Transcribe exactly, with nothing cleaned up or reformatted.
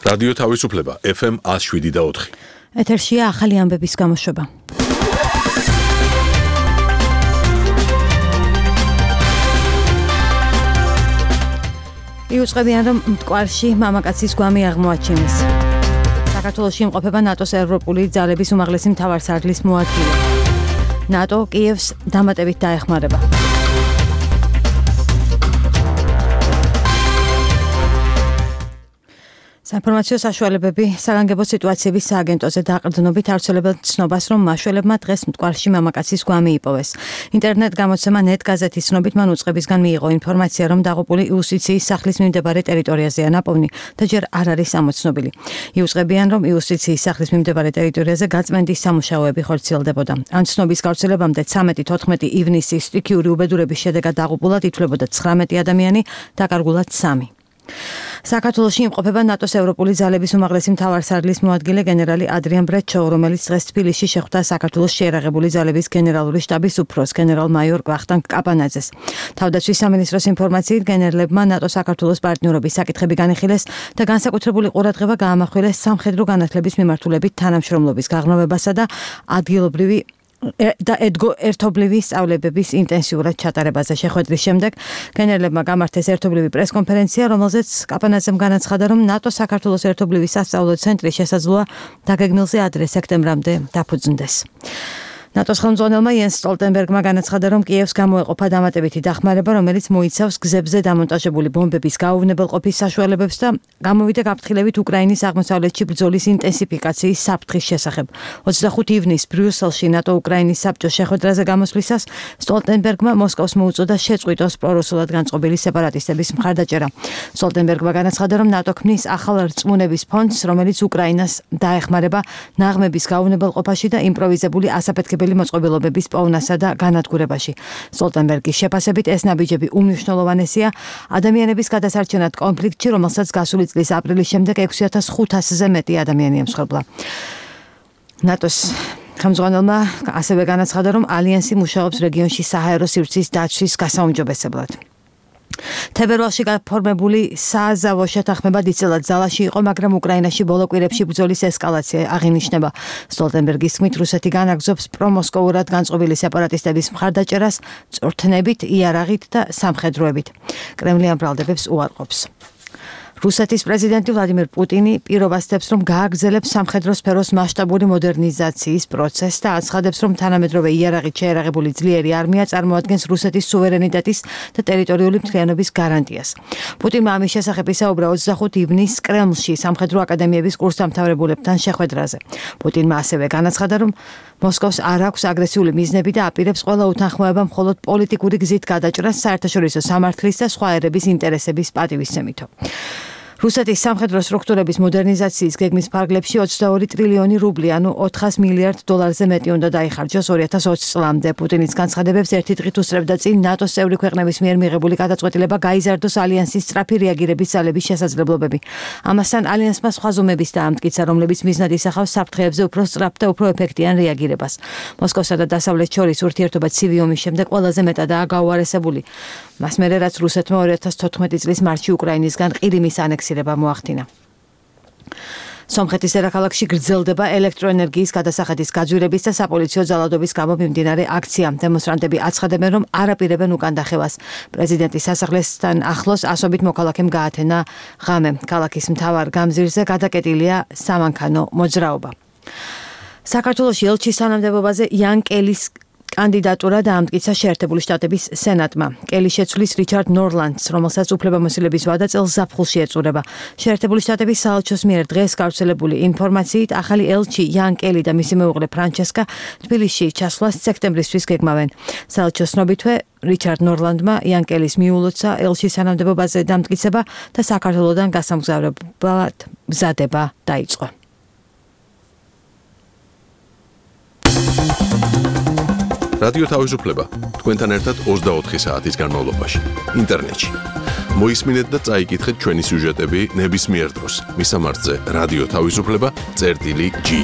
რადიო თავისუფლება ეფ ემ one oh seven და four. ეთერშია ახალი ამბების გამოშვება. იუწყებიან, რომ მტკვარში მამაკაცის გვამი აღმოაჩინეს. საქართველოში იმყოფება ნატოს ევროპული ძალების უმაღლესი მთავარსარდლის მოადგილე. ნატო კიევს დამატებით დაეხმარება. საინფორმაციო საშუალებები საგანგებო სიტუაციების სააგენტოზე დაყრდნობით ავრცელებენ ცნობას, რომ მაშველებმა დღეს მტკვარში მამაკაცის გვამი იპოვეს. ინტერნეტ გამოცემა ნეტ გაზეთის ცნობით მან უწყებისგან მიიღო ინფორმაცია, რომ დაღუპული იუსტიციის სახლის მიმდებარე ტერიტორიაზეა ნაპოვნი და ჯერ არ არის ამოცნობილი. იუწყებიან, რომ იუსტიციის სახლის მიმდებარე ტერიტორიაზე გაწმენდის სამუშაოები ხორციელდებოდა. ამ ცნობის გავრცელებამდე ცამეტი თოთხმეტი ივნისის სტიქიური უბედურების შედეგად დაღუპულად ითვლებოდა ცხრამეტი ადამიანი, დაკარგულად სამი. საქართველოში იმყოფება ნატოს ევროპული ძალების უმაღლესი მთავარსარდლის მოადგილე გენერალი ადრიან ბრეჩო, რომელიც დღეს თბილისში შეხვდა საქართველოს შეიარაღებული ძალების გენერალური შტაბის უფროს გენერალ-მაიორ ვახტანგ კაპანაძეს. თავდაცვის სამინისტროს ინფორმაციით გენერლებმა ნატო საქართველოს პარტნიორობის საკითხები განიხილეს და განსაკუთრებული ყურადღება გაამახვილეს სამხედრო განათლების მიმართულებით თანამშრომლობის გაღრმავებასა და ადგილობრივი და ერთობლივი სწავლებების ინტენსიურად ჩატარებაზე. შეხვედრის შემდეგ გენერლებმა გამართეს ერთობლივი პრესკონფერენცია, რომელზეც კაპანაძემ განაცხადა, რომ ნატო საქართველოს ერთობლივი სასწავლო ცენტრი შესაძლოა დაგეგმილზე ადრე სექტემბრამდე დაფუძნდეს. ნატოს ხელმძღვანელმა იენს სტოლტენბერგმა განაცხადა, რომ კიევს გამოეყოფა დამატებითი დახმარება, რომელიც მოიცავს გზებზე დამონტაჟებული ბომბების გაუვნებელყოფის საშუალებებს და გამოვიდა გაფრთხილებით უკრაინის აღმოსავლეთში ბრძოლის ინტენსიფიკაციის საფრთხის შესახებ. ოცდახუთი ივნისს ბრიუსელში ნატო უკრაინის საბჭოს შეხვედრაზე გამოსვლისას სტოლტენბერგმა მოსკოვს მოუწოდა შეწყვიტოს პრორუსულად განწყობილი სეპარატისტების მხარდაჭერა. სტოლტენბერგმა განაცხადა, რომ ნატო ქმნის ახალ რწმუნების ფონდს, რომელიც უკრაინას დაეხმარება ნაღმების გაუვნებელყოფაში და იმპროვიზებული ასაფეთქებელი მოწყობილობების პოვნასა და განადგურებაში. სტოლტენბერგის შეფასებით ეს ნაბიჯები უმნიშვნელოვანესია ადამიანების გადასარჩენად კონფლიქტში, რომელსაც გასული წლის აპრილის შემდეგ ექვსი ათას ხუთასზე მეტი ადამიანი ემსხვერპლა. ნატოს ხელმძღვანელმა ასევე განაცხადა, რომ ალიანსი მუშაობს რეგიონში საჰაერო სივრცის დაცვის გასაუმჯობესებლად. თებერვალში გაფორმებული სააზავო შეთანხმება დიდწილად ძალაში იყო, მაგრამ უკრაინაში ბოლო კვირებში ბრძოლის ესკალაცია აღინიშნება. სტოლტენბერგის თქმით, რუსეთი განაგრძობს პრომოსკოვურად განწყობილი სეპარატისტების მხარდაჭერას წვრთნებით, იარაღით და სამხედროებით. კრემლი ამ ბრალდებებს უარყოფს. რუსეთის პრეზიდენტი ვლადიმირ პუტინი პირობას დებს, რომ გააგრძელებს სამხედრო სფეროს მასშტაბური მოდერნიზაციის პროცესს და აცხადებს, რომ თანამედროვე იარაღით შეიარაღებული ძლიერი არმია წარმოადგენს რუსეთის სუვერენიტეტის და ტერიტორიული მთლიანობის გარანტიას. პუტინმა ამის შესახებ ისაუბრა ოცდახუთი ივნისს კრემლში სამხედრო აკადემიების კურსდამთავრებულებთან შეხვედრაზე. პუტინმა ასევე განაცხადა, რომ მოსკოვს არ აქვს აგრესიული მიზნები და აპირებს ყველა უთანხმოება მხოლოდ პოლიტიკური გზით გადაჭრას საერთაშორისო სამართლის და სხვა ერების ინტერესების პატივისცემითო. რუსეთის სამხედრო სტრუქტურების მოდერნიზაციის გეგმის ფარგლებში ოცდაორი ტრილიონი რუბლი, ანუ ოთხას მილიარდ დოლარზე მეტი უნდა დაიხარჯოს ორი ათას ოცი წლამდე. პუტინის განცხადებებს ერთი დღით უსწრებდა წინ ნატოს წევრი ქვეყნების მიერ მიღებული გადაწყვეტილება გაიზარდოს ალიანსის სწრაფი რეაგირების ძალების შესაძლებლობები. ამასთან ალიანსმა სხვა ზომების დაამტკიცა, რომლებიც მიზნად ისახავს საფრთხეებზე უფრო სწრაფ და უფრო ეფექტიან რეაგირებას. მოსკოვსა და დასავლეთს შორის ურთიერთობა ცივი ომის შემდეგ ყველაზე მეტადაა გაუარესებული. მას მერე რაც რუსეთმა ორი ათას თოთხმეტი წლის მარტში უკრაინისგან ყირიმის ანექსირება მოახდინა. სომხეთის დედაქალაქში გრძელდება ელექტროენერგიის გადასახადის გაძვირების და საპოლიციო ძალადობის გამო მიმდინარე აქცია. დემონსტრანტები აცხადებენ, რომ არ აპირებენ უკან დახევას. პრეზიდენტის სასახლესთან ახლოს ასობით მოქალაქემ გაათენა ღამე. ქალაქის მთავარ გამზირზე გადაკეტილია სამანქანო მოძრაობა. საქართველოში ელჩის თანამდებობაზე იან კელის კანდიდატურა დაამტკიცა შეერთებული შტატების სენატმა. კელი შეცვლის რიჩარდ ნორლანდს, რომელსაც უფლებამოსილების ვადა წელს ზაფხულში ეწურება. შეერთებული შტატების საელჩოს მიერ დღეს გავრცელებული ინფორმაციით, ახალი ელჩი იან კელი და მისი მეუღლე ფრანჩესკა თბილისში ჩასვლას სექტემბრისთვის გეგმავენ. საელჩოს ცნობითვე რიჩარდ ნორლანდმა იან კელის მიულოცა ელჩის თანამდებობაზე დამტკიცება და საქართველოდან გასამგზავრებლად მზადება დაიწყო. რადიო თავისუფლება თქვენთან ერთად ოცდაოთხი საათის განმავლობაში ინტერნეტში. მოისმინეთ და წაიკითხეთ ჩვენი სიუჟეტები ნებისმიერ დროს. მისამართზე რადიო თავისუფლება წერტილი ჯი.